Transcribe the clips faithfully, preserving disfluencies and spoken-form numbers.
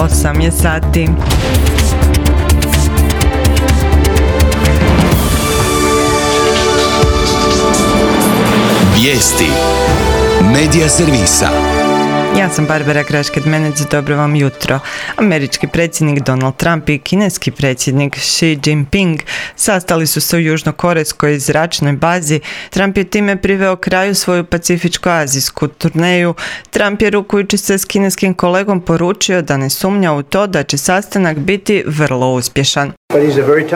osam je sati. Vijesti Medija servisa. Ja sam Barbara Grašked-Menec, dobro vam jutro. Američki predsjednik Donald Trump i kineski predsjednik Xi Jinping sastali su se u južnokorejskoj zračnoj bazi. Trump je time priveo kraju svoju pacifičko-azijsku turneju. Trump je rukujući se s kineskim kolegom poručio da ne sumnja u to da će sastanak biti vrlo uspješan.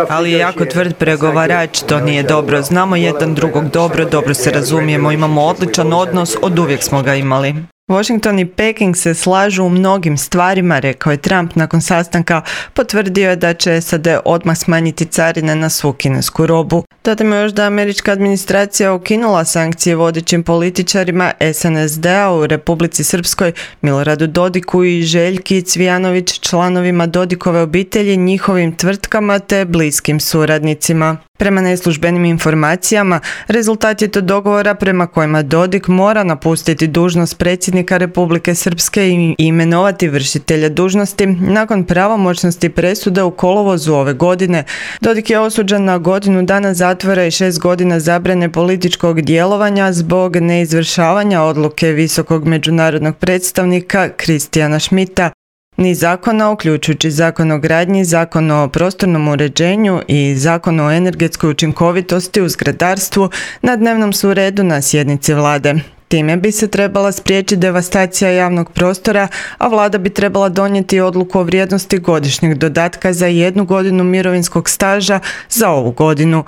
Ali je jako tvrd pregovarač, to nije dobro. Znamo jedan drugog dobro, dobro se razumijemo, imamo odličan odnos, oduvijek smo ga imali. Washington i Peking se slažu u mnogim stvarima, rekao je Trump nakon sastanka. Potvrdio je da će S A D odmah smanjiti carine na svu kinesku robu. Dodajmo još da američka administracija ukinula sankcije vodećim političarima S N S D-a u Republici Srpskoj, Miloradu Dodiku i Željki Cvijanović, članovima Dodikove obitelji, njihovim tvrtkama te bliskim suradnicima. Prema neslužbenim informacijama, rezultat je to dogovora prema kojima Dodik mora napustiti dužnost predsjednika Republike Srpske i imenovati vršitelja dužnosti nakon pravomoćnosti presude u kolovozu ove godine. Dodik je osuđen na godinu dana zatvora i šest godina zabrane političkog djelovanja zbog neizvršavanja odluke visokog međunarodnog predstavnika Kristijana Schmidta. Niz zakona, uključujući zakon o gradnji, zakon o prostornom uređenju i zakon o energetskoj učinkovitosti u zgradarstvu, na dnevnom su redu na sjednici vlade. Time bi se trebala spriječiti devastacija javnog prostora, a vlada bi trebala donijeti odluku o vrijednosti godišnjeg dodatka za jednu godinu mirovinskog staža za ovu godinu.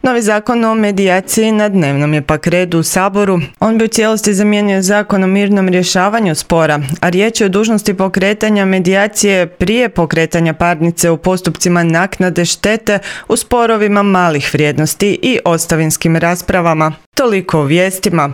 Novi zakon o medijaciji na dnevnom je pak redu u Saboru. On bi u cijelosti zamijenio zakon o mirnom rješavanju spora, a riječ je o dužnosti pokretanja medijacije prije pokretanja parnice u postupcima naknade štete u sporovima malih vrijednosti i ostavinskim raspravama. Toliko o vijestima.